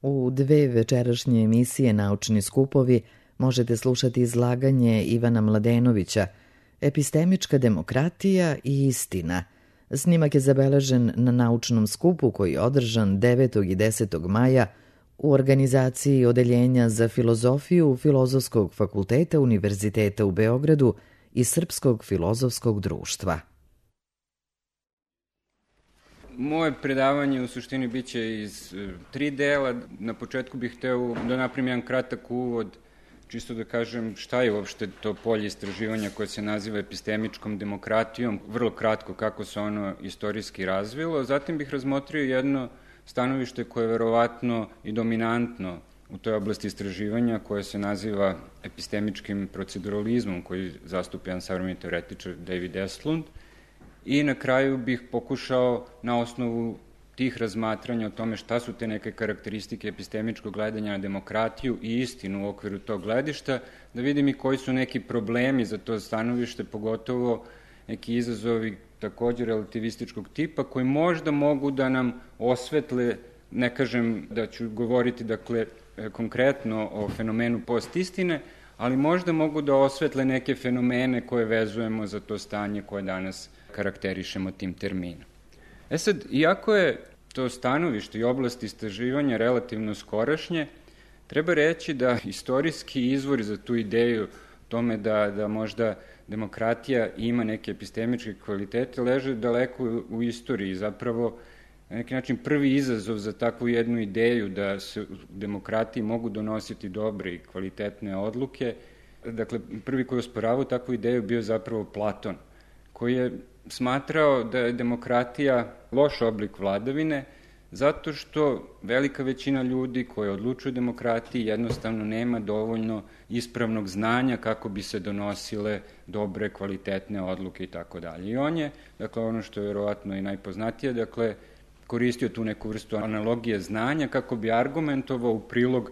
U 2 večerašnje emisije Naučni skupovi možete slušati izlaganje Ivana Mladenovića Epistemička demokratija i istina. Snimak je zabeležen na naučnom skupu koji je održan 9. i 10. maja u organizaciji Odeljenja za filozofiju Filozofskog fakulteta Univerziteta u Beogradu i Srpskog filozofskog društva. Moje predavanje u suštini biće iz 3 dela. Na početku bih hteo da napravim jedan kratak uvod, čisto da kažem šta je uopšte to polje istraživanja koje se naziva epistemičkom demokratijom, vrlo kratko kako se ono istorijski razvilo. Zatim bih razmotrio jedno stanovište koje je verovatno i dominantno u toj oblasti istraživanja, koje se naziva epistemičkim proceduralizmom, koji zastupa jedan savremeni teoretičar David Estlund. I na kraju bih pokušao na osnovu tih razmatranja o tome šta su te neke karakteristike epistemičkog gledanja na demokratiju i istinu u okviru tog gledišta, da vidim i koji su neki problemi za to stanovište, pogotovo neki izazovi takođe relativističkog tipa, koji možda mogu da nam osvetle, ne kažem da ću govoriti dakle konkretno o fenomenu postistine, ali možda mogu da osvetle neke fenomene koje vezujemo za to stanje koje danas karakterišemo tim terminom. Sad, iako je to stanovište i oblast istraživanja relativno skorašnje, treba reći da istorijski izvori za tu ideju tome da možda demokratija ima neke epistemičke kvalitete leže daleko u istoriji. Zapravo, na neki način prvi izazov za takvu jednu ideju da se u demokratiji mogu donositi dobre i kvalitetne odluke, dakle, prvi koji je osporavao takvu ideju bio zapravo Platon, koji je smatrao da je demokratija loš oblik vladavine, zato što velika većina ljudi koji odlučuju o demokratiji jednostavno nema dovoljno ispravnog znanja kako bi se donosile dobre, kvalitetne odluke i tako dalje. I on je, dakle, ono što je verovatno i najpoznatije, dakle, koristio tu neku vrstu analogije znanja kako bi argumentovao u prilog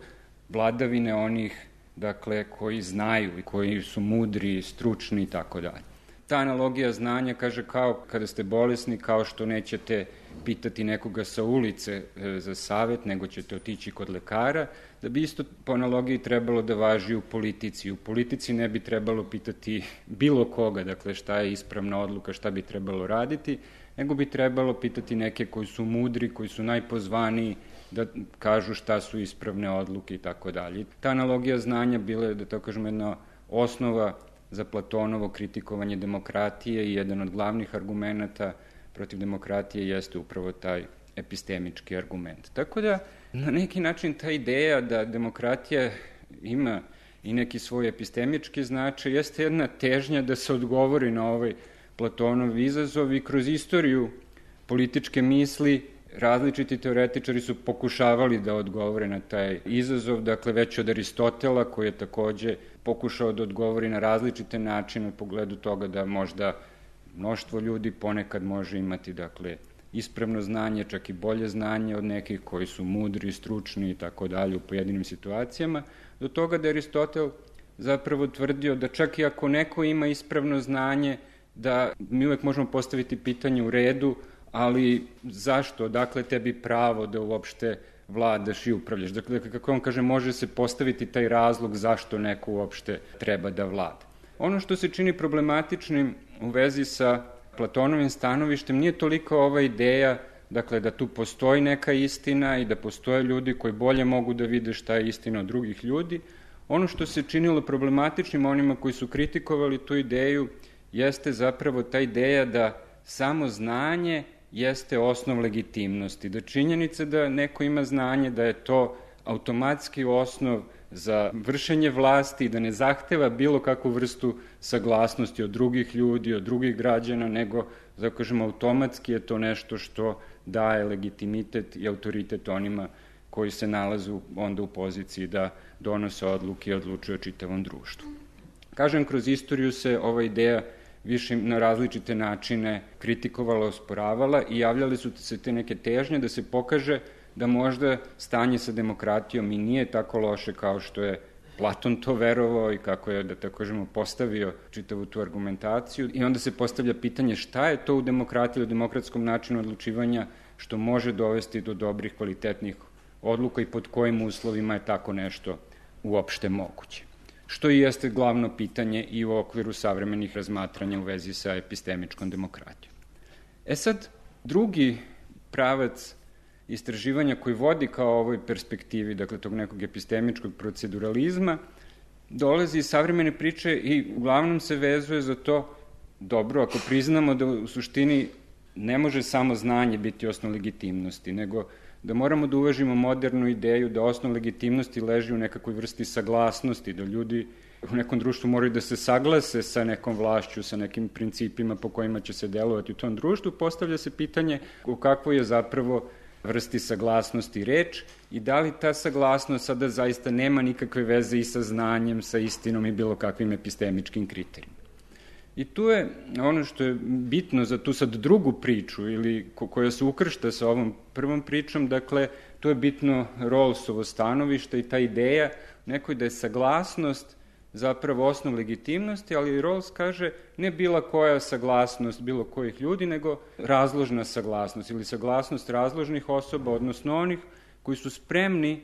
vladavine onih, dakle, koji znaju i koji su mudri, stručni i tako dalje. Ta analogija znanja kaže kao kada ste bolesni, kao što nećete pitati nekoga sa ulice za savet, nego ćete otići kod lekara, da bi isto po analogiji trebalo da važi u politici. U politici ne bi trebalo pitati bilo koga, dakle šta je ispravna odluka, šta bi trebalo raditi, nego bi trebalo pitati neke koji su mudri, koji su najpozvaniji da kažu šta su ispravne odluke i tako dalje. Ta analogija znanja bila je, da tako kažem, jedna osnova za Platonovo kritikovanje demokratije i jedan od glavnih argumenta protiv demokratije jeste upravo taj epistemički argument. Tako da, na neki način ta ideja da demokratija ima i neki svoj epistemički značaj jeste jedna težnja da se odgovori na ovaj Platonov izazov i kroz istoriju političke misli različiti teoretičari su pokušavali da odgovore na taj izazov, dakle već od Aristotela koji je takođe pokušao da odgovori na različite načine u pogledu toga da možda mnoštvo ljudi ponekad može imati, dakle, ispravno znanje, čak i bolje znanje od nekih koji su mudri, stručni i tako dalje u pojedinim situacijama, do toga da Aristotel zapravo tvrdio da čak i ako neko ima ispravno znanje, da mi uvek možemo postaviti pitanje u redu, ali zašto, dakle tebi pravo da uopšte vladaš i upravljaš. Dakle, kako on kaže, može se postaviti taj razlog zašto neko uopšte treba da vlada. Ono što se čini problematičnim u vezi sa Platonovim stanovištem nije toliko ova ideja, dakle, da tu postoji neka istina i da postoje ljudi koji bolje mogu da vide šta je istina od drugih ljudi. Ono što se činilo problematičnim onima koji su kritikovali tu ideju jeste zapravo ta ideja da samo znanje jeste osnov legitimnosti, da činjenica da neko ima znanje, da je to automatski osnov za vršenje vlasti i da ne zahteva bilo kakvu vrstu saglasnosti od drugih ljudi, od drugih građana, nego, da kažemo, automatski je to nešto što daje legitimitet i autoritet onima koji se nalazu onda u poziciji da donose odluke i odlučuju o čitavom društvu. Kažem, kroz istoriju se ova ideja više na različite načine kritikovala, osporavala i javljali su se te neke težnje da se pokaže da možda stanje sa demokratijom i nije tako loše kao što je Platon to verovao i kako je, da tako kažemo, postavio čitavu tu argumentaciju. I onda se postavlja pitanje šta je to u demokratiji, u demokratskom načinu odlučivanja što može dovesti do dobrih, kvalitetnih odluka i pod kojim uslovima je tako nešto uopšte moguće. Što i jeste glavno pitanje i u okviru savremenih razmatranja u vezi sa epistemičkom demokratijom. Sad, drugi pravac istraživanja koji vodi kao ovoj perspektivi, dakle tog nekog epistemičkog proceduralizma, dolazi iz savremene priče i uglavnom se vezuje za to, dobro, ako priznamo da u suštini ne može samo znanje biti osnov legitimnosti, nego da moramo da uvažimo modernu ideju da osnov legitimnosti leži u nekakvoj vrsti saglasnosti, da ljudi u nekom društvu moraju da se saglase sa nekom vlašću, sa nekim principima po kojima će se delovati u tom društvu, postavlja se pitanje u kakvoj je zapravo vrsti saglasnosti reč i da li ta saglasnost sada zaista nema nikakve veze i sa znanjem, sa istinom i bilo kakvim epistemičkim kriterijima. I tu je ono što je bitno za tu sad drugu priču ili koja se ukršta sa ovom prvom pričom, dakle, tu je bitno Rawlsovo stanovište i ta ideja nekoj da je saglasnost zapravo osnov legitimnosti, ali Rawls kaže ne bila koja saglasnost bilo kojih ljudi, nego razložna saglasnost ili saglasnost razložnih osoba, odnosno onih koji su spremni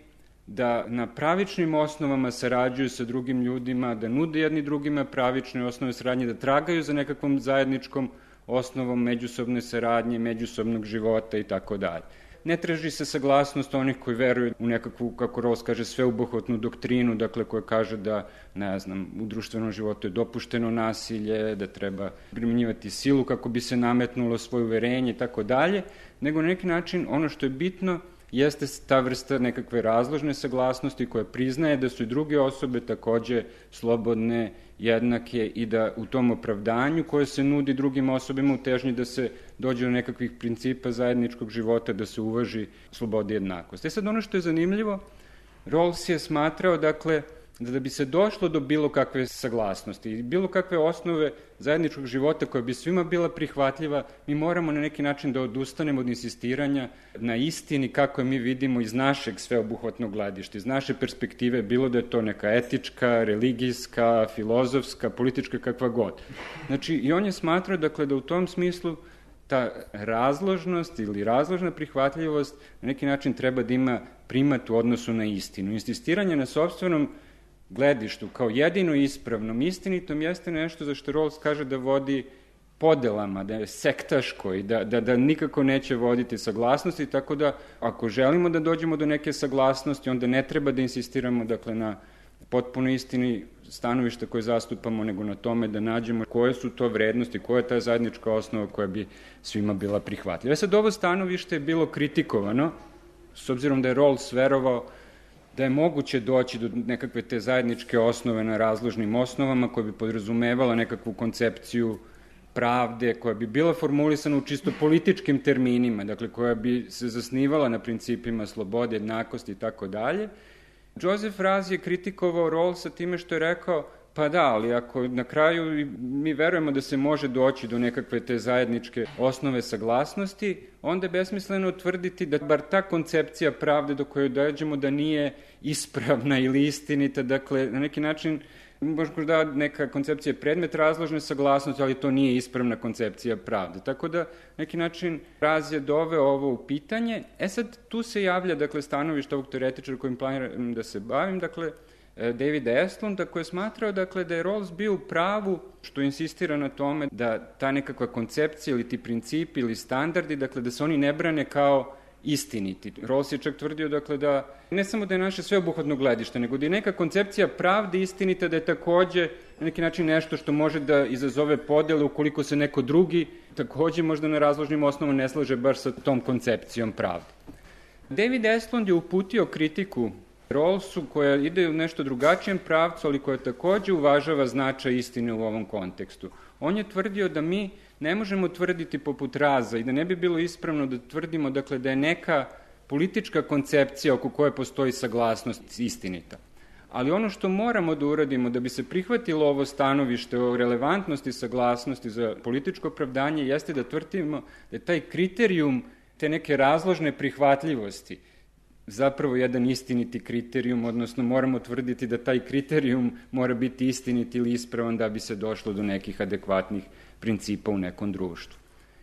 da na pravičnim osnovama sarađuju sa drugim ljudima, da nude jedni drugima pravične osnove saradnje, da tragaju za nekakvom zajedničkom osnovom međusobne saradnje, međusobnog života i tako dalje. Ne traži se saglasnost onih koji veruju u nekakvu, kako Rawls kaže, sveobuhvatnu doktrinu, dakle koja kaže da, ne znam, u društvenom životu je dopušteno nasilje, da treba primjenjivati silu kako bi se nametnulo svoje uverenje i tako dalje, nego na neki način ono što je bitno jeste ta vrsta nekakve razložne saglasnosti koja priznaje da su i druge osobe takođe slobodne, jednake i da u tom opravdanju koje se nudi drugim osobama u težnji da se dođe do nekakvih principa zajedničkog života, da se uvaži sloboda i jednakost. Sad ono što je zanimljivo, Rawls je smatrao, dakle, da bi se došlo do bilo kakve saglasnosti i bilo kakve osnove zajedničkog života koja bi svima bila prihvatljiva, mi moramo na neki način da odustanemo od insistiranja na istini kako je mi vidimo iz našeg sveobuhvatnog gledišta, iz naše perspektive, bilo da je to neka etička, religijska, filozofska, politička, kakva god. Znači, i on je smatrao, dakle, da u tom smislu ta razložnost ili razložna prihvatljivost na neki način treba da ima primat u odnosu na istinu. Insistiranje na sopstvenom gledištu kao jedino ispravnom, istinitom jeste nešto za što Rawls kaže da vodi podelama, da je sektaško i da nikako neće voditi saglasnosti, tako da ako želimo da dođemo do neke saglasnosti, onda ne treba da insistiramo, dakle, na potpuno istini stanovišta koje zastupamo, nego na tome da nađemo koje su to vrednosti, koja je ta zajednička osnova koja bi svima bila prihvatljiva. Sad, ovo stanovište je bilo kritikovano, s obzirom da je Rawls verovao da je moguće doći do nekakve te zajedničke osnove na razložnim osnovama koja bi podrazumevala nekakvu koncepciju pravde, koja bi bila formulisana u čisto političkim terminima, dakle koja bi se zasnivala na principima slobode, jednakosti i tako dalje. Joseph Raz je kritikovao Rawlsa time što je rekao, pa da, ali ako na kraju mi verujemo da se može doći do nekakve te zajedničke osnove saglasnosti, onda je besmisleno tvrditi da bar ta koncepcija pravde do koje dođemo da nije ispravna ili istinita, dakle, na neki način možda neka koncepcija je predmet razložne saglasnosti, ali to nije ispravna koncepcija pravde. Tako da, na neki način, Raz je doveo ovo u pitanje. Sad, tu se javlja, dakle, stanovište ovog teoretičara kojim planiram da se bavim, dakle, Davida Estlunda, koji je smatrao, dakle, da je Rawls bio u pravu što insistira na tome da ta nekakva koncepcija ili ti principi ili standardi, dakle, da se oni ne brane kao istiniti. Rawls je čak tvrdio, dakle, da ne samo da je naše sveobuhvatno gledište, nego da je neka koncepcija pravde istinita, da je takođe na neki način nešto što može da izazove podele ukoliko se neko drugi takođe možda na razložnim osnovama ne slaže baš sa tom koncepcijom pravde. David Estlund je uputio kritiku Rawlsu koja ide u nešto drugačijem pravcu, ali koja takođe uvažava značaj istine u ovom kontekstu. On je tvrdio da mi ne možemo tvrditi poput Raza i da ne bi bilo ispravno da tvrdimo, dakle, da je neka politička koncepcija oko koje postoji saglasnost istinita. Ali ono što moramo da uradimo da bi se prihvatilo ovo stanovište o relevantnosti saglasnosti za političko opravdanje jeste da tvrdimo da je taj kriterijum te neke razložne prihvatljivosti zapravo jedan istiniti kriterijum, odnosno moramo tvrditi da taj kriterijum mora biti istinit ili ispravan da bi se došlo do nekih adekvatnih principa u nekom društvu.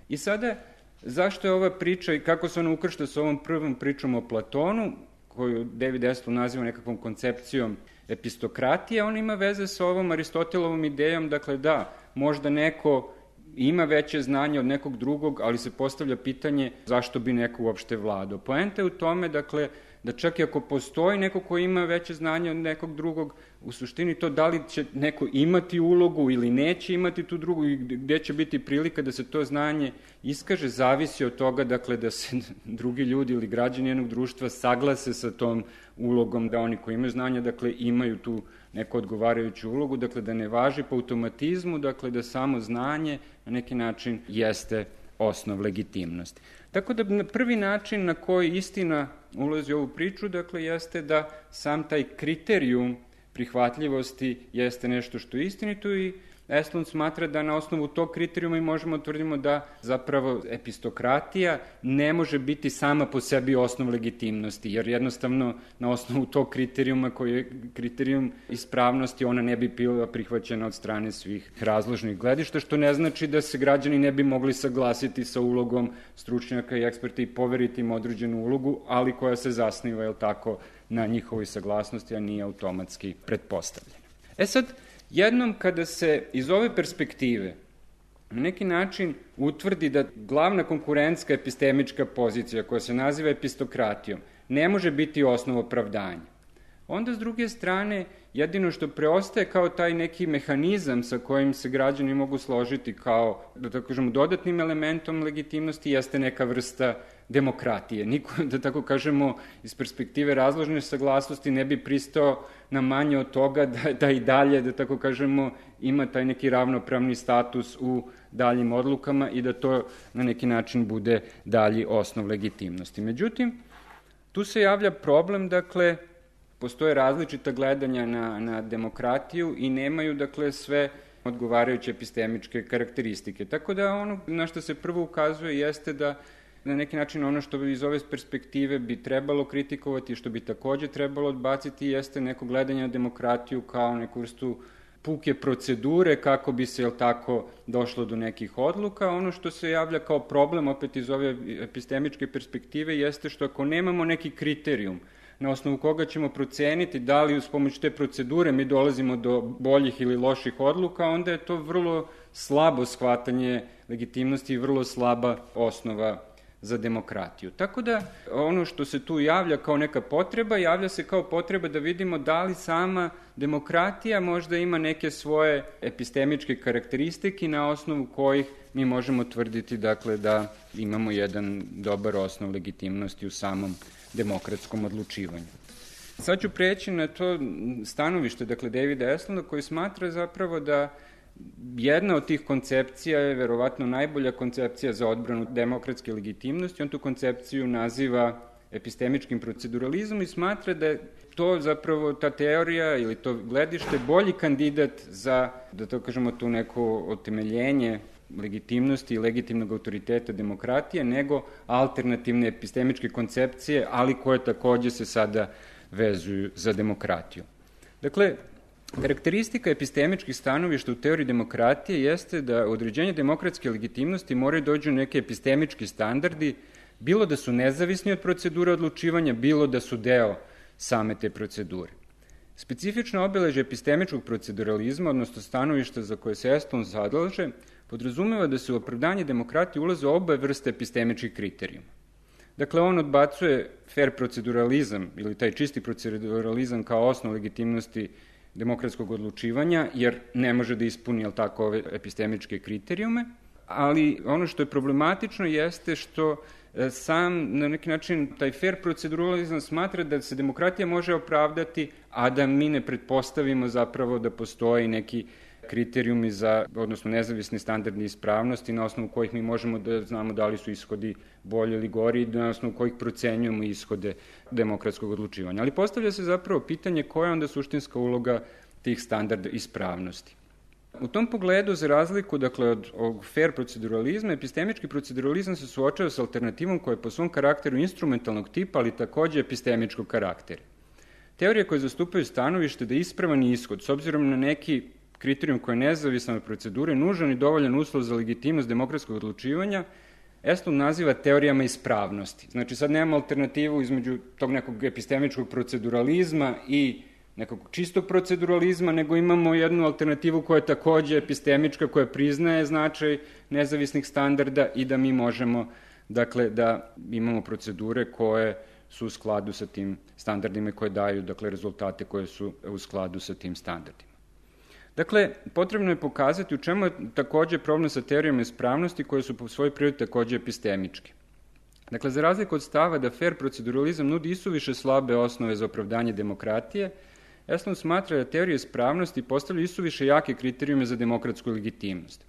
I sada, zašto je ova priča i kako se ona ukršta sa ovom prvom pričom o Platonu, koju David Estlund naziva nekakvom koncepcijom epistokratije, ona ima veze sa ovom Aristotelovom idejom, dakle da, možda neko ima veće znanje od nekog drugog, ali se postavlja pitanje zašto bi neko uopšte vladao. Poenta je u tome, dakle, da čak i ako postoji neko ko ima veće znanje od nekog drugog, u suštini to da li će neko imati ulogu ili neće imati tu drugu i gde će biti prilika da se to znanje iskaže, zavisi od toga, dakle, da se drugi ljudi ili građani jednog društva saglase sa tom ulogom, da oni koji imaju znanje, dakle, imaju tu neku odgovarajuću ulogu, dakle, da ne važi po automatizmu, dakle, da samo znanje na neki način jeste osnov legitimnosti. Tako da prvi način na koji istina ulazi u ovu priču, dakle, jeste da sam taj kriterijum prihvatljivosti jeste nešto što je istinito i Estlund smatra da na osnovu tog kriterijuma i možemo tvrdimo da zapravo epistokratija ne može biti sama po sebi osnov legitimnosti, jer jednostavno na osnovu tog kriterijuma koji je kriterijum ispravnosti ona ne bi bila prihvaćena od strane svih razložnih gledišta, što ne znači da se građani ne bi mogli saglasiti sa ulogom stručnjaka i eksperta i poveriti im određenu ulogu, ali koja se zasniva, je li tako, na njihovoj saglasnosti, a nije automatski pretpostavljena. Sad, jednom kada se iz ove perspektive na neki način utvrdi da glavna konkurentska epistemička pozicija koja se naziva epistokratijom ne može biti osnov opravdanja, onda s druge strane jedino što preostaje kao taj neki mehanizam sa kojim se građani mogu složiti kao, da tako kažemo, dodatnim elementom legitimnosti jeste neka vrsta demokratije. Niko, da tako kažemo, iz perspektive razložne saglasnosti ne bi pristao na manje od toga da i dalje, da tako kažemo, ima taj neki ravnopravni status u daljim odlukama i da to na neki način bude dalji osnov legitimnosti. Međutim, tu se javlja problem, dakle, postoje različita gledanja na demokratiju i nemaju, dakle, sve odgovarajuće epistemičke karakteristike. Tako da ono na što se prvo ukazuje jeste da na neki način ono što iz ove perspektive bi trebalo kritikovati i što bi takođe trebalo odbaciti jeste neko gledanje na demokratiju kao neku vrstu puke procedure kako bi se, jel tako, došlo do nekih odluka. Ono što se javlja kao problem opet iz ove epistemičke perspektive jeste što ako nemamo neki kriterijum na osnovu koga ćemo proceniti da li uz pomoć te procedure mi dolazimo do boljih ili loših odluka, onda je to vrlo slabo shvatanje legitimnosti i vrlo slaba osnova za demokratiju. Tako da ono što se tu javlja kao neka potreba, javlja se kao potreba da vidimo da li sama demokratija možda ima neke svoje epistemičke karakteristike na osnovu kojih mi možemo tvrditi, dakle, da imamo jedan dobar osnov legitimnosti u samom demokratskom odlučivanju. Sad ću preći na to stanovište, dakle, Davida Estlunda, koji smatra zapravo da jedna od tih koncepcija je verovatno najbolja koncepcija za odbranu demokratske legitimnosti. On tu koncepciju naziva epistemičkim proceduralizmom i smatra da je to zapravo ta teorija ili to gledište bolji kandidat za, da to kažemo, tu neko otemeljenje legitimnosti i legitimnog autoriteta demokratije nego alternativne epistemičke koncepcije, ali koje takođe se sada vezuju za demokratiju. Dakle, karakteristika epistemičkih stanovišta u teoriji demokratije jeste da određenje demokratske legitimnosti moraju dođu neke epistemički standardi, bilo da su nezavisni od procedure odlučivanja, bilo da su deo same te procedure. Specifično obeležje epistemičkog proceduralizma, odnosno stanovišta za koje se Estlund zalaže, podrazumeva da se u opravdanje demokratije ulaze obe vrste epistemičkih kriterijuma. Dakle, on odbacuje fair proceduralizam ili taj čisti proceduralizam kao osnov legitimnosti demokratskog odlučivanja, jer ne može da ispuni, jel tako, ove epistemičke kriterijume, ali ono što je problematično jeste što sam, na neki način, taj fair proceduralizam smatra da se demokratija može opravdati, a da mi ne pretpostavimo zapravo da postoji neki kriterijumi za, odnosno nezavisni standardni ispravnosti na osnovu kojih mi možemo da znamo da li su ishodi bolji ili gori i na osnovu kojih procenjujemo ishode demokratskog odlučivanja. Ali postavlja se zapravo pitanje koja je onda suštinska uloga tih standarda ispravnosti. U tom pogledu, za razliku, dakle, od ovog fair proceduralizma, epistemički proceduralizam se suočava sa alternativom koja je po svom karakteru instrumentalnog tipa, ali takođe epistemičkog karaktera. Teorije koje zastupaju stanovište da je ispravan ishod, s obzirom na neki kriterijum koji je nezavisan od procedure, nužan i dovoljan uslov za legitimnost demokratskog odlučivanja, Estlund naziva teorijama ispravnosti. Znači, sad nemamo alternativu između tog nekog epistemičkog proceduralizma i nekog čistog proceduralizma, nego imamo jednu alternativu koja je takođe epistemička, koja priznaje značaj nezavisnih standarda i da mi možemo, dakle, da imamo procedure koje su u skladu sa tim standardima i koje daju, dakle, rezultate koje su u skladu sa tim standardima. Dakle, potrebno je pokazati u čemu je takođe problem sa teorijama ispravnosti koje su po svojoj prirodi takođe epistemičke. Dakle, za razliku od stava da fair proceduralizam nudi isuviše slabe osnove za opravdanje demokratije, Estlund smatra da teorije ispravnosti postavljaju isuviše jake kriterijume za demokratsku legitimnost.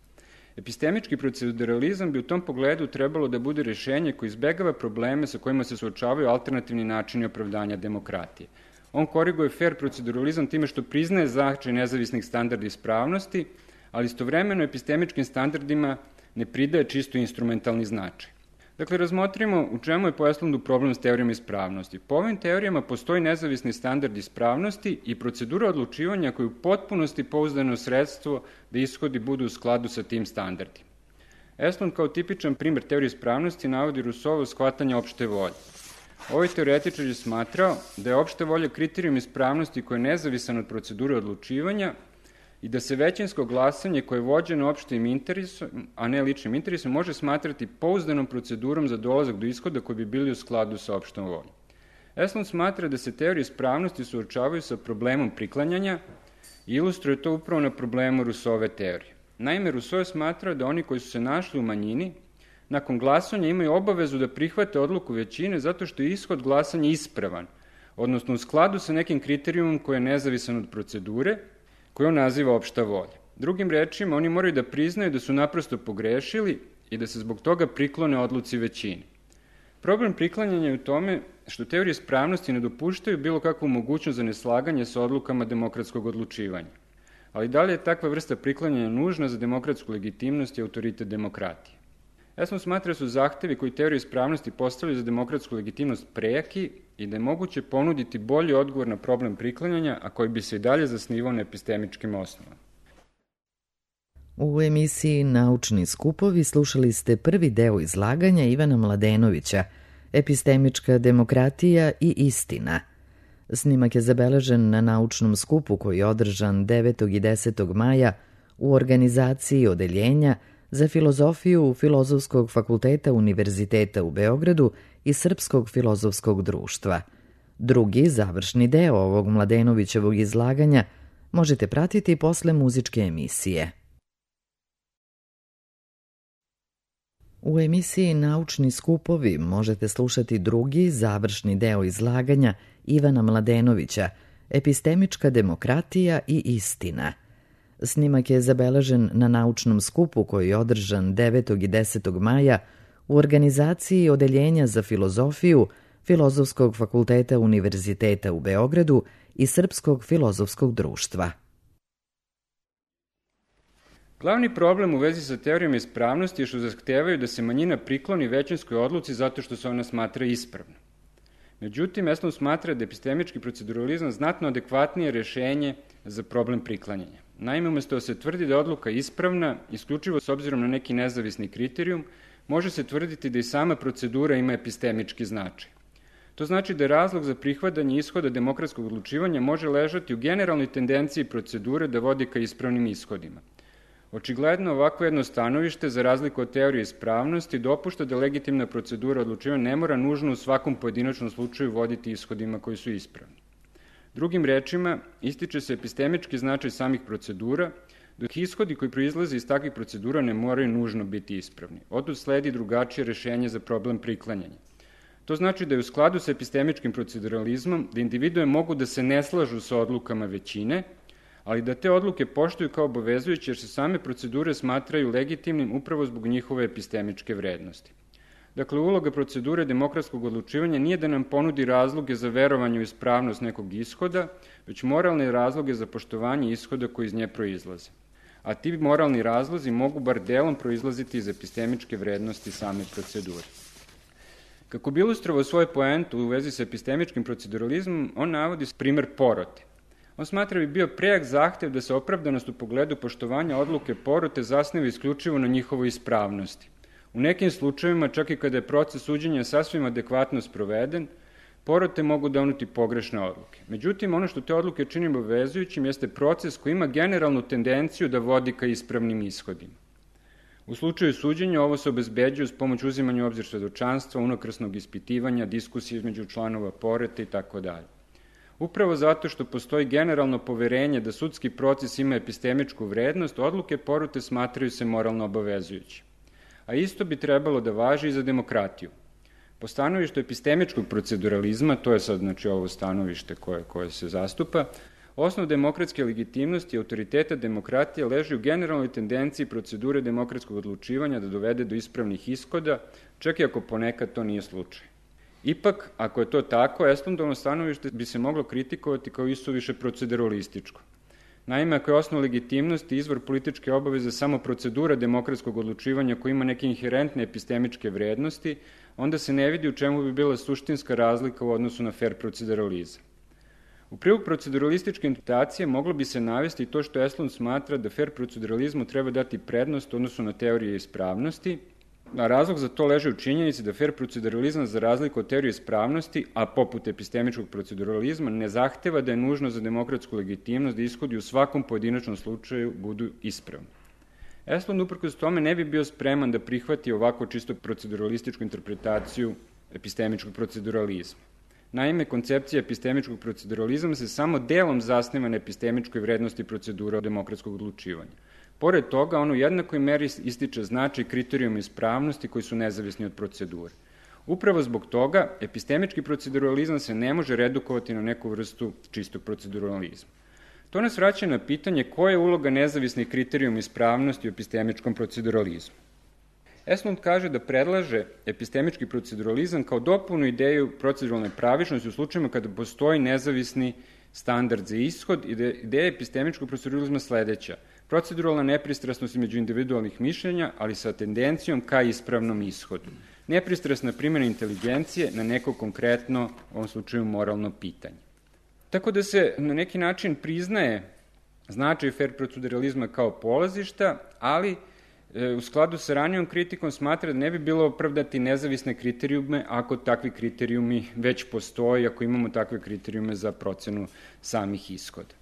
Epistemički proceduralizam bi u tom pogledu trebalo da bude rešenje koje izbegava probleme sa kojima se suočavaju alternativni načini opravdanja demokratije. On koriguje fair proceduralizam time što priznaje značaj nezavisnih standarda ispravnosti, ali istovremeno epistemičkim standardima ne pridaje čisto instrumentalni značaj. Dakle, razmotrimo u čemu je po Estlundu problem s teorijama ispravnosti. Po ovim teorijama postoji nezavisni standard ispravnosti i procedura odlučivanja koja je u potpunosti pouzdano sredstvo da ishodi budu u skladu sa tim standardima. Estlund kao tipičan primer teorije ispravnosti navodi Rousseauvo shvatanje opšte volje. Ovaj teoretičar je smatrao da je opšta volja kriterijum ispravnosti koji je nezavisan od procedure odlučivanja i da se većinsko glasanje koje je vođeno opštim interesom, a ne ličnim interesom, može smatrati pouzdanom procedurom za dolazak do ishoda koji bi bili u skladu sa opštom voljom. Estlund smatra da se teorije ispravnosti suočavaju sa problemom priklanjanja i ilustruje to upravo na problemu Rousseauove teorije. Naime, Rousseau je smatrao da oni koji su se našli u manjini, nakon glasanja imaju obavezu da prihvate odluku većine zato što je ishod glasanja ispravan, odnosno u skladu sa nekim kriterijumom koji je nezavisan od procedure, koju on naziva opšta volja. Drugim rečima, oni moraju da priznaju da su naprosto pogrešili i da se zbog toga priklone odluci većine. Problem priklanjanja je u tome što teorije ispravnosti ne dopuštaju bilo kakvu mogućnost za neslaganje sa odlukama demokratskog odlučivanja. Ali da li je takva vrsta priklanjanja nužna za demokratsku legitimnost i autoritet demokratije? Estlund smatra da su zahtevi koji teorije ispravnosti postavljaju za demokratsku legitimnost prejaki i da je moguće ponuditi bolji odgovor na problem priklanjanja, a koji bi se i dalje zasnivao na epistemičkim osnovama. U emisiji Naučni skupovi slušali ste prvi deo izlaganja Ivana Mladenovića, Epistemička demokratija i istina. Snimak je zabeležen na naučnom skupu koji je održan 9. i 10. maja u organizaciji Odeljenja za filozofiju Filozofskog fakulteta Univerziteta u Beogradu i Srpskog filozofskog društva. Drugi, završni deo ovog Mladenovićevog izlaganja možete pratiti posle muzičke emisije. U emisiji Naučni skupovi možete slušati drugi, završni deo izlaganja Ivana Mladenovića, Epistemička demokratija i istina. Snimak je zabeležen na naučnom skupu koji je održan 9. i 10. maja u organizaciji Odeljenja za filozofiju Filozofskog fakulteta Univerziteta u Beogradu i Srpskog filozofskog društva. Glavni problem u vezi sa teorijama ispravnosti je što zahtevaju da se manjina prikloni većinskoj odluci zato što se ona smatra ispravna. Međutim, Estlund smatra da je epistemički proceduralizam znatno adekvatnije rešenje za problem priklanjanja. Naime, umesto da se tvrdi da je odluka ispravna, isključivo s obzirom na neki nezavisni kriterijum, može se tvrditi da i sama procedura ima epistemički značaj. To znači da razlog za prihvatanje ishoda demokratskog odlučivanja može ležati u generalnoj tendenciji procedure da vodi ka ispravnim ishodima. Očigledno, ovako jedno stanovište, za razliku od teorije ispravnosti, dopušta da legitimna procedura odlučivanja ne mora nužno u svakom pojedinačnom slučaju voditi ishodima koji su ispravni. Drugim rečima, ističe se epistemički značaj samih procedura, dok ishodi koji proizlaze iz takvih procedura ne moraju nužno biti ispravni. Otud sledi drugačije rešenje za problem priklanjanja. To znači da je u skladu sa epistemičkim proceduralizmom da individue mogu da se ne slažu sa odlukama većine, ali da te odluke poštuju kao obavezujuće jer se same procedure smatraju legitimnim upravo zbog njihove epistemičke vrednosti. Dakle, uloga procedure demokratskog odlučivanja nije da nam ponudi razloge za verovanje u ispravnost nekog ishoda, već moralne razloge za poštovanje ishoda koji iz nje proizlaze. A ti moralni razlozi mogu bar delom proizlaziti iz epistemičke vrednosti same procedure. Kako bi ilustrovao svoju poentu u vezi sa epistemičkim proceduralizmom, on navodi primer porote. On smatra bi bio prejak zahtev da se opravdanost u pogledu poštovanja odluke porote zasniva isključivo na njihovoj ispravnosti. U nekim slučajevima, čak i kada je proces suđenja sasvim adekvatno sproveden, porote mogu donuti pogrešne odluke. Međutim, ono što te odluke čini obavezujućim jeste proces koji ima generalnu tendenciju da vodi ka ispravnim ishodima. U slučaju suđenja ovo se obezbeđuje s pomoć uzimanja u obzir svedočanstva, unakrsnog ispitivanja, diskusije između članova porete itd. Upravo zato što postoji generalno poverenje da sudski proces ima epistemičku vrednost, odluke porote smatraju se moralno obavezujući. A isto bi trebalo da važi i za demokratiju. Po stanovištu epistemičkog proceduralizma, to je sad ovo stanovište koje se zastupa, osnov demokratske legitimnosti i autoriteta demokratije leži u generalnoj tendenciji procedure demokratskog odlučivanja da dovede do ispravnih ishoda, čak i ako ponekad to nije slučaj. Ipak, ako je to tako, Estlundovo stanovište bi se moglo kritikovati kao isuviše proceduralističko. Naime, ako je osnov legitimnosti i izvor političke obaveze samo procedura demokratskog odlučivanja koja ima neke inherentne epistemičke vrednosti, onda se ne vidi u čemu bi bila suštinska razlika u odnosu na fair proceduralizam. U prilog proceduralističke interpretacije moglo bi se navesti to što Estlund smatra da fair proceduralizmu treba dati prednost u odnosu na teorije ispravnosti, a razlog za to leži u činjenici da fair proceduralizam za razliku od teorije ispravnosti, a poput epistemičkog proceduralizma, ne zahteva da je nužno za demokratsku legitimnost da ishodi u svakom pojedinačnom slučaju budu ispravni. Estlund uprkos tome ne bi bio spreman da prihvati ovako čisto proceduralističku interpretaciju epistemičkog proceduralizma. Naime, koncepcija epistemičkog proceduralizma se samo delom zasniva na epistemičkoj vrednosti procedura demokratskog odlučivanja. Pored toga, on u jednakoj meri ističe značaj kriterijuma ispravnosti koji su nezavisni od procedure. Upravo zbog toga, epistemički proceduralizam se ne može redukovati na neku vrstu čistog proceduralizma. To nas vraća na pitanje koja je uloga nezavisnih kriterijuma ispravnosti u epistemičkom proceduralizmu. Estlund kaže da predlaže epistemički proceduralizam kao dopunu ideju proceduralne pravičnosti u slučajima kada postoji nezavisni standard za ishod i da je ideja epistemičkog proceduralizma sledeća. Proceduralna nepristrasnost između individualnih mišljenja, ali sa tendencijom ka ispravnom ishodu. Nepristrasna primjena inteligencije na neko konkretno, u ovom slučaju moralno pitanje. Tako da se na neki način priznaje značaj fair proceduralizma kao polazišta, ali u skladu sa ranijom kritikom smatra da ne bi bilo opravdati nezavisne kriterijume ako takvi kriterijumi već postoji, ako imamo takve kriterijume za procenu samih ishoda.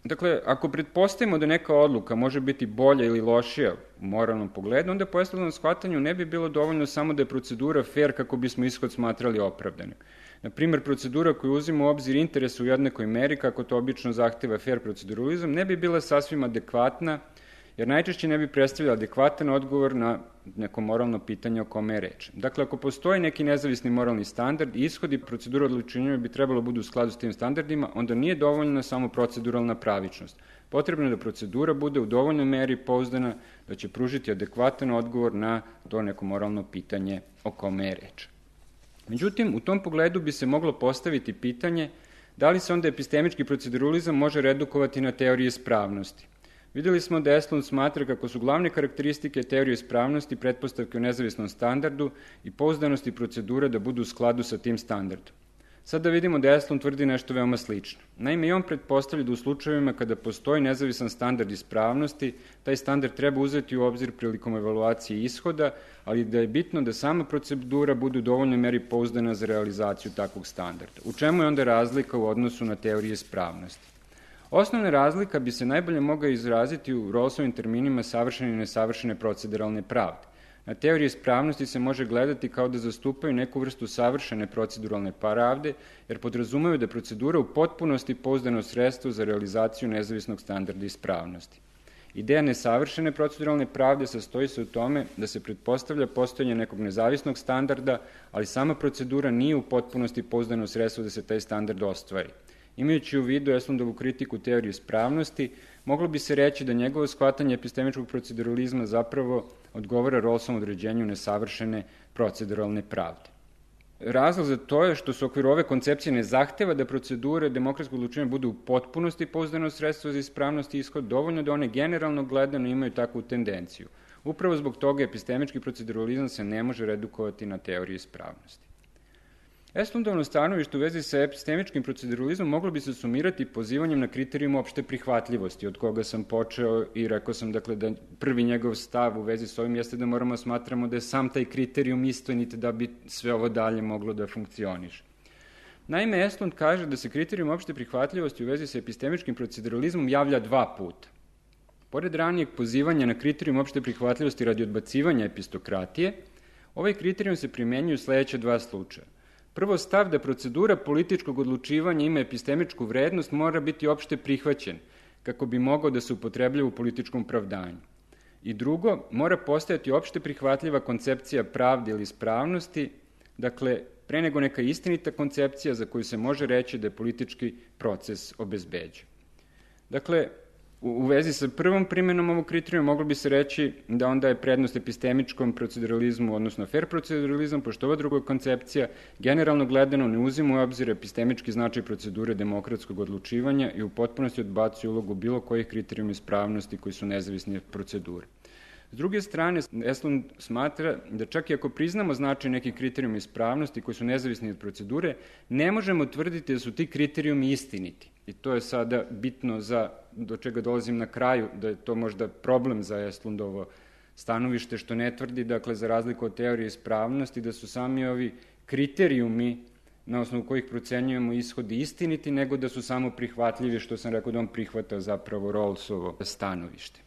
Dakle, ako pretpostavimo da neka odluka može biti bolja ili lošija u moralnom pogledu, onda po Estlundovom shvatanju ne bi bilo dovoljno samo da je procedura fair kako bismo ishod smatrali opravdanim. Na primer, procedura koju uzima u obzir interes u jednakoj meri, kako to obično zahteva fair proceduralizam, ne bi bila sasvim adekvatna, jer najčešće ne bi predstavljala adekvatan odgovor na neko moralno pitanje o kome je reč. Dakle, ako postoji neki nezavisni moralni standard i ishodi procedura odlučivanja bi trebalo budu u skladu s tim standardima, onda nije dovoljna samo proceduralna pravičnost. Potrebno je da procedura bude u dovoljnoj meri pouzdana da će pružiti adekvatan odgovor na to neko moralno pitanje o kome je reč. Međutim, u tom pogledu bi se moglo postaviti pitanje da li se onda epistemički proceduralizam može redukovati na teorije ispravnosti. Videli smo da Estlund smatra kako su glavne karakteristike teorije ispravnosti pretpostavke o nezavisnom standardu i pouzdanosti procedura da budu u skladu sa tim standardom. Sada vidimo da Estlund tvrdi nešto veoma slično. Naime, i on pretpostavlja da u slučajevima kada postoji nezavisan standard ispravnosti, taj standard treba uzeti u obzir prilikom evaluacije ishoda, ali da je bitno da sama procedura bude u dovoljnoj meri pouzdana za realizaciju takvog standarda. U čemu je onda razlika u odnosu na teorije ispravnosti? Osnovna razlika bi se najbolje mogla izraziti u Rawlsovim terminima savršene i nesavršene proceduralne pravde. Na teoriji ispravnosti se može gledati kao da zastupaju neku vrstu savršene proceduralne pravde, jer podrazumaju da je procedura u potpunosti pouzdano sredstvo za realizaciju nezavisnog standarda ispravnosti. Ideja nesavršene proceduralne pravde sastoji se u tome da se pretpostavlja postojanje nekog nezavisnog standarda, ali sama procedura nije u potpunosti pouzdano sredstvo da se taj standard ostvari. Imajući u vidu Estlundovu kritiku teorije ispravnosti, moglo bi se reći da njegovo shvatanje epistemičkog proceduralizma zapravo odgovara Rawlsovom određenju nesavršene proceduralne pravde. Razlog za to je što se u okviru ove koncepcije ne zahteva da procedure demokratskog odlučivanja budu u potpunosti pouzdano sredstvo za ispravnost i ishod, dovoljno da one generalno gledano imaju takvu tendenciju. Upravo zbog toga epistemički proceduralizam se ne može redukovati na teoriju ispravnosti. Estlundovno stanovište u vezi sa epistemičkim proceduralizmom moglo bi se sumirati pozivanjem na kriterijum opšte prihvatljivosti, od koga sam počeo i rekao sam dakle, da prvi njegov stav u vezi s ovim jeste da moramo smatramo da je sam taj kriterijum istinit da bi sve ovo dalje moglo da funkcioniše. Naime, Estlund kaže da se kriterijum opšte prihvatljivosti u vezi sa epistemičkim proceduralizmom javlja 2 puta. Pored ranijeg pozivanja na kriterijum opšte prihvatljivosti radi odbacivanja epistokratije, ovaj kriterijum se primenjuje u sledeća 2 slučaja. Prvo, stav da procedura političkog odlučivanja ima epistemičku vrednost mora biti opšte prihvaćen, kako bi mogao da se upotrebljava u političkom pravdanju. I drugo, mora postojati opšte prihvatljiva koncepcija pravde ili ispravnosti, dakle, pre nego neka istinita koncepcija za koju se može reći da je politički proces obezbeđen. Dakle, u vezi sa prvom primjenom ovog kriterijuma moglo bi se reći da onda je prednost epistemičkom proceduralizmu, odnosno fair proceduralizam, pošto ova druga koncepcija generalno gledano ne uzima u obzir epistemički značaj procedure demokratskog odlučivanja i u potpunosti odbacuje ulogu bilo kojih kriterijuma ispravnosti koji su nezavisni od procedure. S druge strane, Estlund smatra da čak i ako priznamo značaj nekih kriterijuma ispravnosti koji su nezavisni od procedure, ne možemo tvrditi da su ti kriterijumi istiniti. I to je sada bitno do čega dolazim na kraju, da je to možda problem za Estlundovo stanovište, što ne tvrdi, dakle, za razliku od teorije ispravnosti, da su sami ovi kriterijumi na osnovu kojih procenjujemo ishodi istiniti, nego da su samo prihvatljivi, što sam rekao da on prihvata zapravo Rawlsovo stanovište.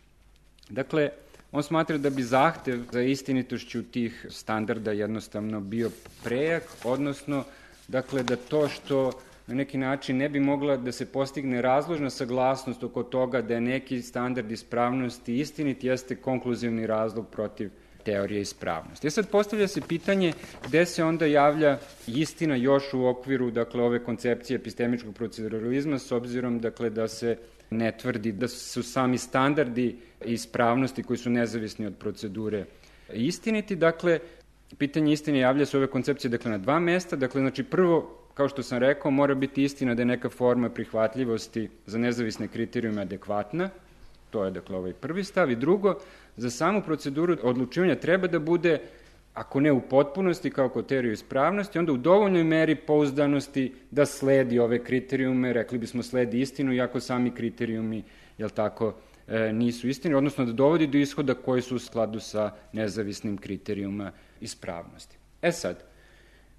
Dakle, on smatra da bi zahtev za istinitošću tih standarda jednostavno bio prejak, odnosno, dakle, da to što na neki način ne bi mogla da se postigne razložna saglasnost oko toga da je neki standard ispravnosti istinit, jeste konkluzivni razlog protiv teorije ispravnosti. Sad postavlja se pitanje gde se onda javlja istina još u okviru, dakle, ove koncepcije epistemičkog proceduralizma, s obzirom, dakle, da se ne tvrdi da su sami standardi ispravnosti koji su nezavisni od procedure istiniti. Dakle, pitanje istine javlja se ove koncepcije, dakle, na 2 mesta. Dakle, znači, prvo, kao što sam rekao, mora biti istina da je neka forma prihvatljivosti za nezavisne kriterijume adekvatna. To je, dakle, ovaj prvi stav. I drugo, za samu proceduru odlučivanja treba da bude, ako ne u potpunosti kao kod teorije ispravnosti, onda u dovoljnoj meri pouzdanosti da sledi ove kriterijume, rekli bismo sledi istinu, iako sami kriterijumi, jel tako, nisu istini, odnosno da dovodi do ishoda koji su u skladu sa nezavisnim kriterijuma ispravnosti. Sad,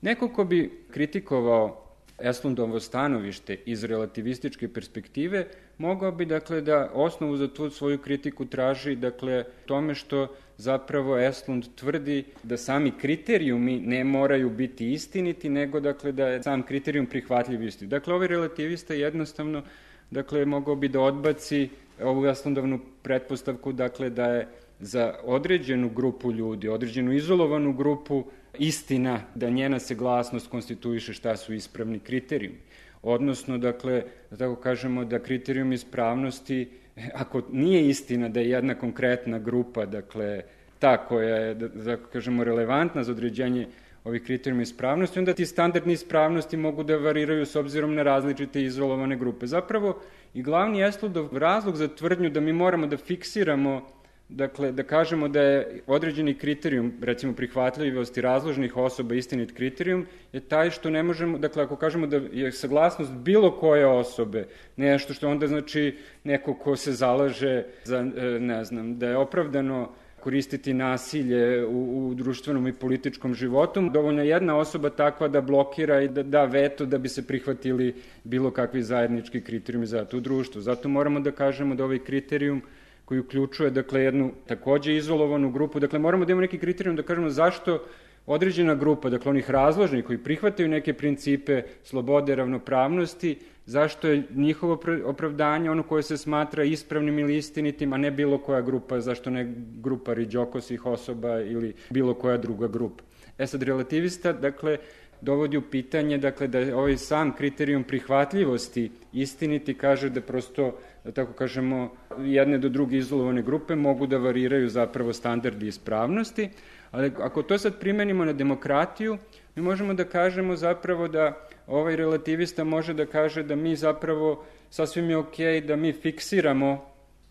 neko ko bi kritikovao Estlundovo stanovište iz relativističke perspektive, mogao bi, dakle, da osnovu za tu svoju kritiku traži, dakle, tome što zapravo Estlund tvrdi da sami kriterijumi ne moraju biti istiniti, nego, dakle, da je sam kriterijum prihvatljiv isti. Dakle, ovaj relativista jednostavno, dakle, mogao bi da odbaci ovu Estlundovnu pretpostavku, dakle, da je za određenu grupu ljudi, određenu izolovanu grupu, istina da njena saglasnost konstituiše šta su ispravni kriterijumi. Odnosno, dakle, da tako kažemo, da kriterijum ispravnosti, ako nije istina da je jedna konkretna grupa, dakle, ta koja je, da kažemo, relevantna za određenje ovih kriterijuma ispravnosti, onda ti standardni ispravnosti mogu da variraju s obzirom na različite izolovane grupe. Zapravo, i glavni Estlundov razlog za tvrdnju da mi moramo da fiksiramo, dakle, da kažemo da je određeni kriterijum, recimo prihvatljivosti razložnih osoba istinit kriterijum, je taj što ne možemo, dakle, ako kažemo da je saglasnost bilo koje osobe, nešto što onda znači neko ko se zalaže za, ne znam, da je opravdano koristiti nasilje u društvenom i političkom životu, dovoljno jedna osoba takva da blokira i da da veto da bi se prihvatili bilo kakvi zajednički kriterijumi za to društvo. Zato moramo da kažemo da ovaj kriterijum koji uključuje, dakle, jednu takođe izolovanu grupu, dakle, moramo da imamo neki kriterijum da kažemo zašto određena grupa, dakle, onih razložnih koji prihvataju neke principe slobode, ravnopravnosti, zašto je njihovo opravdanje ono koje se smatra ispravnim ili istinitim, a ne bilo koja grupa, zašto ne grupa riđokosih osoba ili bilo koja druga grupa. Sad, relativista, dakle, dovodi u pitanje, dakle, da je ovaj sam kriterijum prihvatljivosti istiniti, kaže da prosto, da tako kažemo, jedne do druge izolovane grupe mogu da variraju zapravo standardi ispravnosti, ali ako to sad primenimo na demokratiju, mi možemo da kažemo zapravo da ovaj relativista može da kaže da mi zapravo, sasvim je okej da mi fiksiramo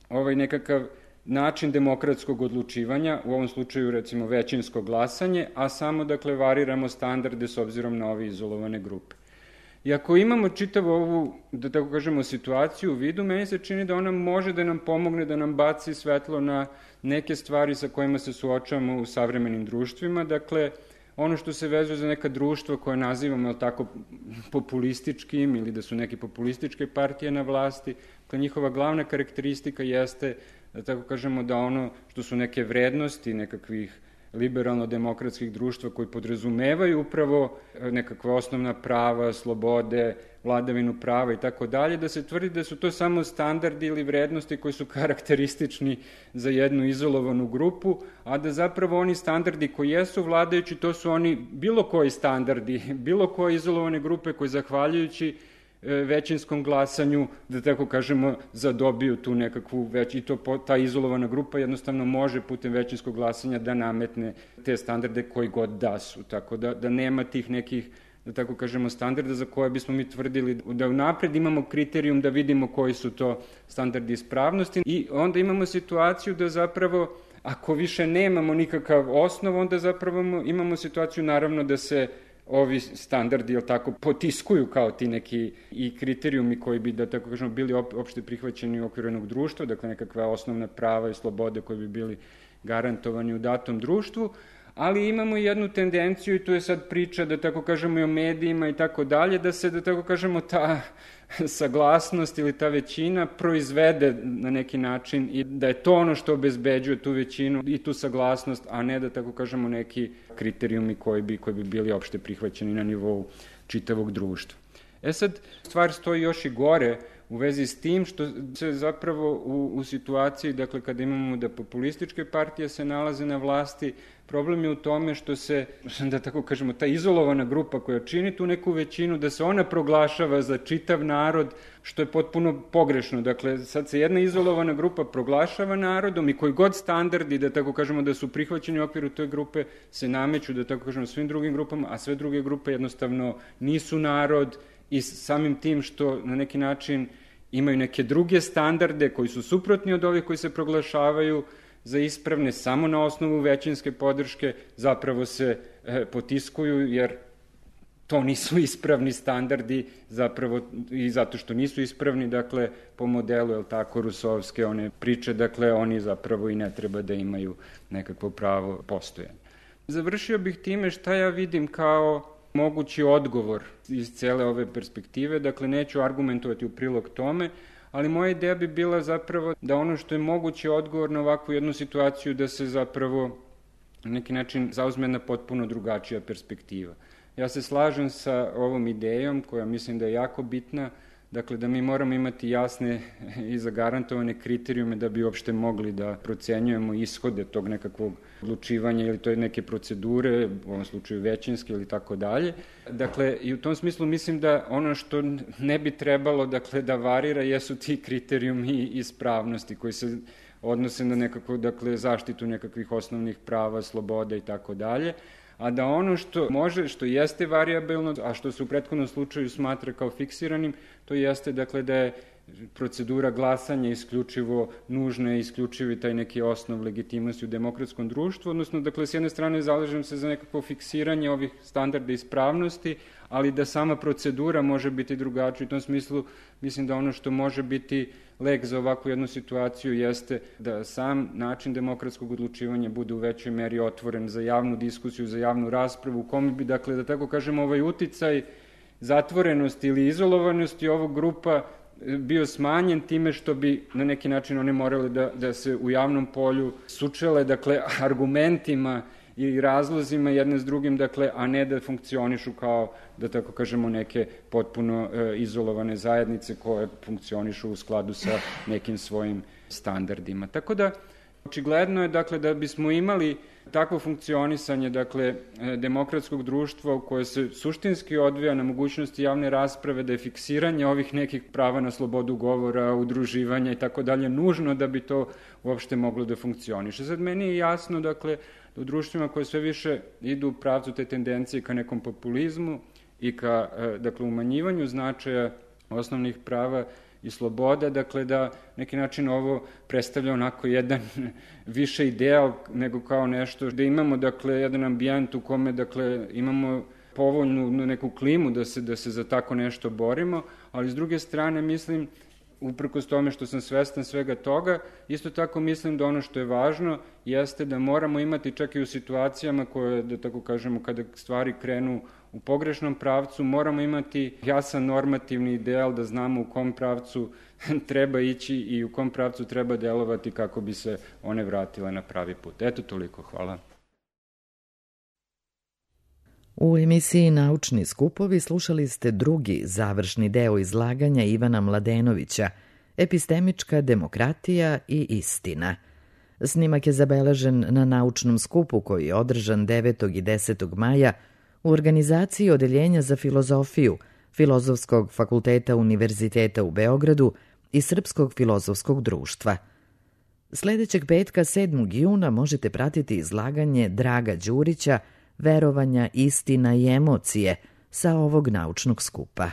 ovaj nekakav način demokratskog odlučivanja, u ovom slučaju recimo većinsko glasanje, a samo dakle variramo standarde s obzirom na ove izolovane grupe. I ako imamo čitavu ovu, da tako kažemo, situaciju u vidu, meni se čini da ona može da nam pomogne, da nam baci svetlo na neke stvari sa kojima se suočavamo u savremenim društvima. Dakle, ono što se vezuje za neka društva koje nazivamo tako populističkim ili da su neke populističke partije na vlasti, dakle, njihova glavna karakteristika jeste, da tako kažemo, da ono što su neke vrednosti nekakvih liberalno-demokratskih društva koji podrazumevaju upravo nekakva osnovna prava, slobode, vladavinu prava i tako dalje, da se tvrdi da su to samo standardi ili vrednosti koji su karakteristični za jednu izolovanu grupu, a da zapravo oni standardi koji jesu vladajući, to su oni bilo koji standardi, bilo koje izolovane grupe koji zahvaljujući većinskom glasanju, da tako kažemo, zadobiju tu nekakvu i ta izolovana grupa jednostavno može putem većinskog glasanja da nametne te standarde koji god da su. Tako da nema tih nekih, da tako kažemo, standarda za koje bismo mi tvrdili da unapred imamo kriterijum da vidimo koji su to standardi ispravnosti i onda imamo situaciju da zapravo ako više nemamo nikakav osnov, onda zapravo imamo situaciju naravno da se ovi standardi, jel tako, potiskuju kao ti neki i kriterijumi koji bi, da tako kažemo, bili opšte prihvaćeni u okviru jednog društva, dakle nekakva osnovna prava i slobode koji bi bili garantovani u datom društvu, ali imamo i jednu tendenciju i tu je sad priča, da tako kažemo, i o medijima i tako dalje, da se, da tako kažemo, ta saglasnost ili ta većina proizvede na neki način i da je to ono što obezbeđuje tu većinu i tu saglasnost, a ne da tako kažemo neki kriterijumi koji bi bili opšte prihvaćeni na nivou čitavog društva. Sad, stvar stoji još i gore u vezi s tim što se zapravo u situaciji, dakle kada imamo da populističke partije se nalaze na vlasti, problem je u tome što se, da tako kažemo, ta izolovana grupa koja čini tu neku većinu, da se ona proglašava za čitav narod, što je potpuno pogrešno. Dakle, sad se jedna izolovana grupa proglašava narodom i koji god standardi, da tako kažemo, da su prihvaćeni u okviru toj grupe, se nameću, da tako kažemo, svim drugim grupama, a sve druge grupe jednostavno nisu narod i samim tim što na neki način imaju neke druge standarde koji su suprotni od ovih koji se proglašavaju za ispravne samo na osnovu većinske podrške, zapravo se potiskuju jer to nisu ispravni standardi zapravo i zato što nisu ispravni, dakle po modelu, jel tako, rusovske one priče, dakle oni zapravo i ne treba da imaju nekakvo pravo postojanja. Završio bih time šta ja vidim kao mogući odgovor iz cele ove perspektive, dakle neću argumentovati u prilog tome, ali moja ideja bi bila zapravo da ono što je mogući odgovor na ovakvu jednu situaciju da se zapravo na neki način zauzme jedna potpuno drugačija perspektiva. Ja se slažem sa ovom idejom koja mislim da je jako bitna, dakle da mi moramo imati jasne i zagarantovane kriterijume da bi uopšte mogli da procenjujemo ishode tog nekakvog odlučivanja ili to je neke procedure, u ovom slučaju većinske ili tako dalje. Dakle, i u tom smislu mislim da ono što ne bi trebalo, dakle, da varira jesu ti kriterijumi ispravnosti koji se odnose na nekakvu, dakle, zaštitu nekakvih osnovnih prava, sloboda i tako dalje, a da ono što može, što jeste variabilno, a što se u prethodnom slučaju smatra kao fiksiranim, to jeste, dakle, da je procedura glasanja isključivo nužna i isključivi taj neki osnov legitimnosti u demokratskom društvu, odnosno, dakle, s jedne strane zalažem se za nekako fiksiranje ovih standarda ispravnosti, ali da sama procedura može biti drugačija. U tom smislu mislim da ono što može biti lek za ovakvu jednu situaciju jeste da sam način demokratskog odlučivanja bude u većoj meri otvoren za javnu diskusiju, za javnu raspravu, u kome bi, dakle, da tako kažemo, ovaj uticaj zatvorenosti ili izolovanosti ovog grupa bio smanjen time što bi na neki način one morale da se u javnom polju sučele, dakle, argumentima i razlozima jedne s drugim, dakle, a ne da funkcionišu kao, da tako kažemo, neke potpuno izolovane zajednice koje funkcionišu u skladu sa nekim svojim standardima. Tako da, očigledno je, dakle, da bismo imali takvo funkcionisanje, dakle, demokratskog društva u koje se suštinski odvija na mogućnosti javne rasprave, da je fiksiranje ovih nekih prava na slobodu govora, udruživanja i tako dalje nužno da bi to uopšte moglo da funkcioniše. Sad meni je jasno, dakle, da u društvima koje sve više idu u pravcu te tendencije ka nekom populizmu i ka, dakle, umanjivanju značaja osnovnih prava i sloboda, dakle da neki način ovo predstavlja onako jedan više ideal nego kao nešto, da imamo dakle jedan ambijent u kome dakle imamo povoljnu neku klimu da se za tako nešto borimo, ali s druge strane mislim, uprkos tome što sam svestan svega toga, isto tako mislim da ono što je važno jeste da moramo imati čak i u situacijama koje, da tako kažemo, kada stvari krenu u pogrešnom pravcu, moramo imati jasan normativni ideal da znamo u kom pravcu treba ići i u kom pravcu treba delovati kako bi se one vratile na pravi put. Eto toliko, hvala. U emisiji Naučni skupovi slušali ste drugi završni deo izlaganja Ivana Mladenovića, Epistemička demokratija i istina. Snimak je zabeležen na naučnom skupu koji je održan 9. i 10. maja u organizaciji Odeljenja za filozofiju Filozofskog fakulteta Univerziteta u Beogradu i Srpskog filozofskog društva. Sledećeg petka 7. juna možete pratiti izlaganje Draga Đurića Verovanja, istina i emocije sa ovog naučnog skupa.